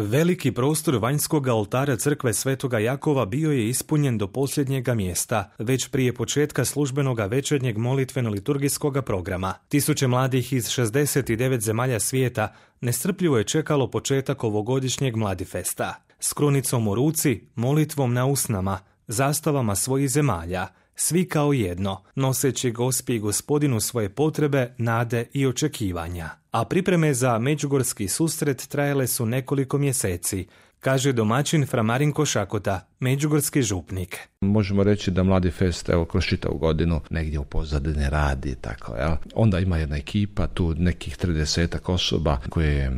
Veliki prostor vanjskog oltara crkve Svetoga Jakova bio je ispunjen do posljednjega mjesta, već prije početka službenoga večernjeg molitveno-liturgijskog programa. Tisuće mladih iz 69 zemalja svijeta nestrpljivo je čekalo početak ovogodišnjeg Mladifesta. S krunicom u ruci, molitvom na usnama, zastavama svojih zemalja, svi kao jedno, noseći Gospi i Gospodinu svoje potrebe, nade i očekivanja. A pripreme za međugorski susret trajale su nekoliko mjeseci, kaže domaćin fra Marinko Šakota, međugorski župnik. Možemo reći da Mladifest, evo, kroz čitavu godinu negdje u pozadini radi, tako, jel? Onda ima jedna ekipa, tu nekih 30 osoba koje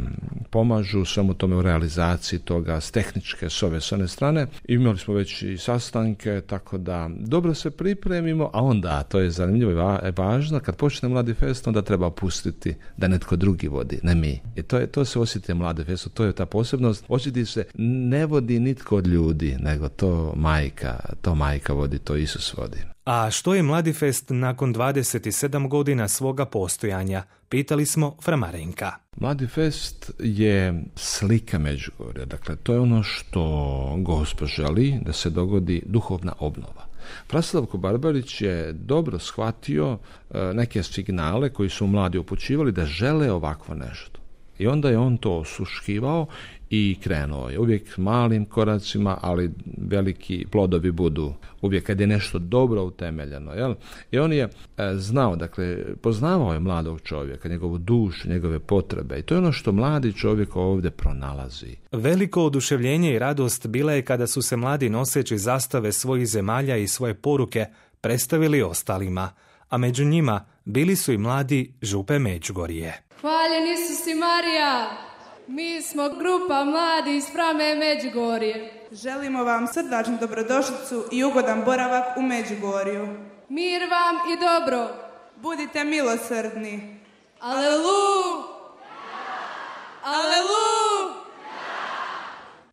pomažu svemu tome u realizaciji toga, s tehničke, s one strane. Imali smo već i sastanke, tako da dobro se pripremimo, a onda, to je zanimljivo i važno, kad počne Mladifest, onda treba pustiti da netko drugi vodi, ne mi. I to se osjeti Mladifestu, to je ta posebnost. Osjeti se, ne vodi nitko od ljudi, nego to majka vodi, to Isus vodi. A što je Mladifest nakon 27 godina svoga postojanja? Pitali smo fra Marenka. Mladifest je slika Međugorja, dakle to je ono što Gospod želi da se dogodi duhovna obnova. Praslavko Barbarić je dobro shvatio neke signale koji su mladi upućivali da žele ovakvo nešto. I onda je on to osuškivao i krenuo je uvijek malim koracima, ali veliki plodovi budu uvijek kad je nešto dobro utemeljeno. Jel? I on je znao, dakle, poznavao je mladog čovjeka, njegovu dušu, njegove potrebe i to je ono što mladi čovjek ovdje pronalazi. Veliko oduševljenje i radost bila je kada su se mladi noseći zastave svojih zemalja i svoje poruke predstavili ostalima, a među njima bili su i mladi župe Međugorje. Hvaljen Isus i Marija! Mi smo grupa mladi iz Frame Međugorje. Želimo vam srdačnu dobrodošlicu i ugodan boravak u Međugorju. Mir vam i dobro. Budite milosrdni. Aleluja! Aleluja!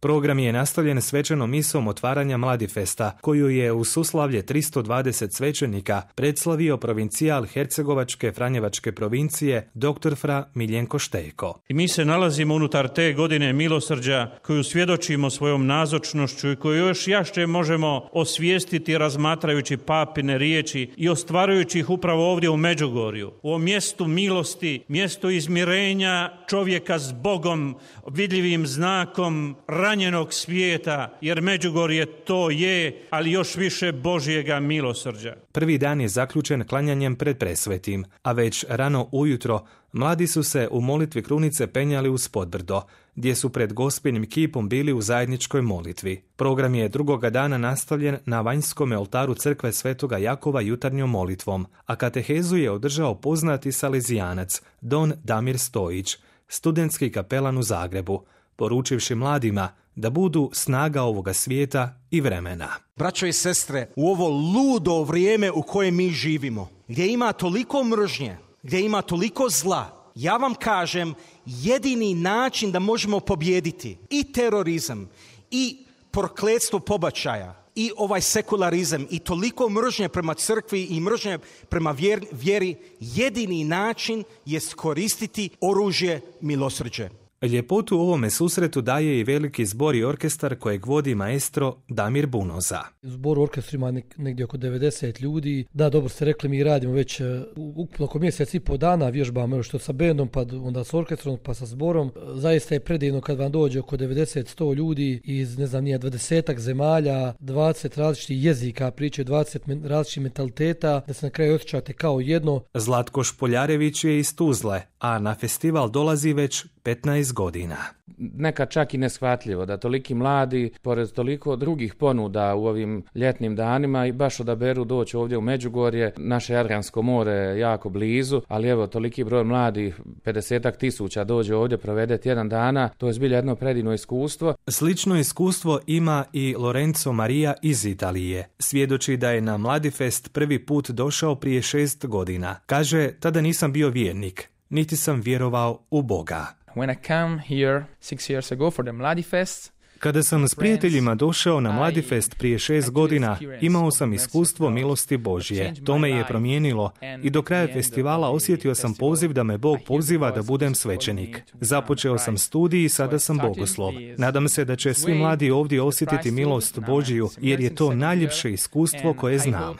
Program je nastavljen svečanom misom otvaranja Mladifesta, koju je u suslavlje 320 svećenika predslavio provincijal Hercegovačke Franjevačke provincije dr. fra Miljenko Štejko. I mi se nalazimo unutar te godine milosrđa koju svjedočimo svojom nazočnošću i koju još jače možemo osvijestiti razmatrajući papine riječi i ostvarujući ih upravo ovdje u Međugorju. U ovom mjestu milosti, mjestu izmirenja čovjeka s Bogom, vidljivim znakom ranjenog svijeta, jer Međugorje to je, ali još više Božjega milosrđa. Prvi dan je zaključen klanjanjem pred presvetim, a već rano ujutro mladi su se u molitvi krunice penjali uz podbrdo, gdje su pred Gospinim kipom bili u zajedničkoj molitvi. Program je drugoga dana nastavljen na vanjskom oltaru crkve Svetoga Jakova jutarnjom molitvom, a katehezu je održao poznati salezijanac Don Damir Stojić, studentski kapelan u Zagrebu, poručivši mladima da budu snaga ovoga svijeta i vremena. Braćo i sestre, u ovo ludo vrijeme u kojem mi živimo, gdje ima toliko mržnje, gdje ima toliko zla, ja vam kažem, jedini način da možemo pobijediti i terorizam, i prokletstvo pobačaja, i ovaj sekularizam, i toliko mržnje prema crkvi i mržnje prema vjeri, jedini način je koristiti oružje milosrđe. Ljepotu u ovome susretu daje i veliki zbor i orkestar kojeg vodi maestro Damir Bunoza. Zbor u orkestru ima negdje oko 90 ljudi. Da, dobro ste rekli, mi radimo već ukupno oko mjesec i po dana, vježbamo što sa bendom, pa onda s orkestrom, pa sa zborom. Zaista je predivno kad vam dođe oko 90-100 ljudi iz, 20 zemalja, 20 različitih jezika, pričaju 20 različitih mentaliteta, da se na kraju osjećate kao jedno. Zlatko Špoljarević je iz Tuzle, a na festival dolazi već 15 godina. Nekad čak i neshvatljivo da toliki mladi, pored toliko drugih ponuda u ovim ljetnim danima, i baš odaberu doći ovdje u Međugorje. Naše Jadransko more je jako blizu, ali evo toliki broj mladih, 50.000 dođe ovdje, provede tjedan dana, to je zbilja jedno predivno iskustvo. Slično iskustvo ima i Lorenzo Maria iz Italije. Svjedoči da je na Mladifest prvi put došao prije 6 godina. Kaže, tada nisam bio vjernik, niti sam vjerovao u Boga. When I came here 6 years ago for the Mladifest, Kada sam s prijateljima došao na Mladifest prije 6 godina, imao sam iskustvo milosti Božje. To me je promijenilo i do kraja festivala osjetio sam poziv da me Bog poziva da budem svećenik. Započeo sam studij i sada sam bogoslov. Nadam se da će svi mladi ovdje osjetiti milost Božju, jer je to najljepše iskustvo koje znam.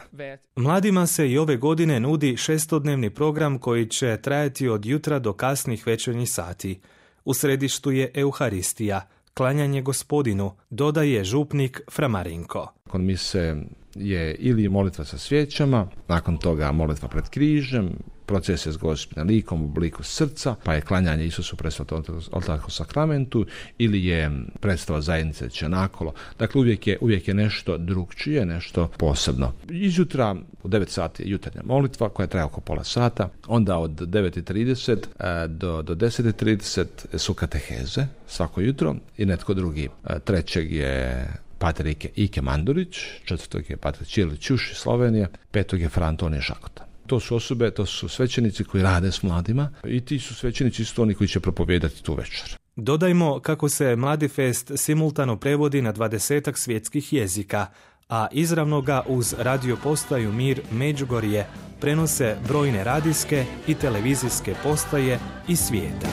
Mladima se i ove godine nudi 6-dnevni program koji će trajati od jutra do kasnih večernjih sati. U središtu je Euharistija, klanjanje Gospodinu, dodaje župnik Fra Marinko. Kod mise je ili molitva sa svijećama, nakon toga molitva pred križem, procesija s Gospinim likom u obliku srca, pa je klanjanje Isusu presvetom oltarskom sakramentu, ili je predstava zajednice Čenakolo. Dakle, uvijek je nešto drugčije, nešto posebno. Izjutra u 9 sati je jutarnja molitva koja traje oko pola sata, onda od 9:30 do 10:30 su kateheze svako jutro i netko drugi. Trećeg je pater Ike Mandurić, četvrtog je pater Čirili Ćuš iz Slovenije, petog je Fra Antonije Žakota. To su osobe, to su svećenici koji rade s mladima i ti su svećenici isto oni koji će propovijedati tu večer. Dodajmo kako se Mladifest simultano prevodi na 20 svjetskih jezika, a izravno ga uz radio postaju Mir Međugorje prenose brojne radijske i televizijske postaje iz svijeta.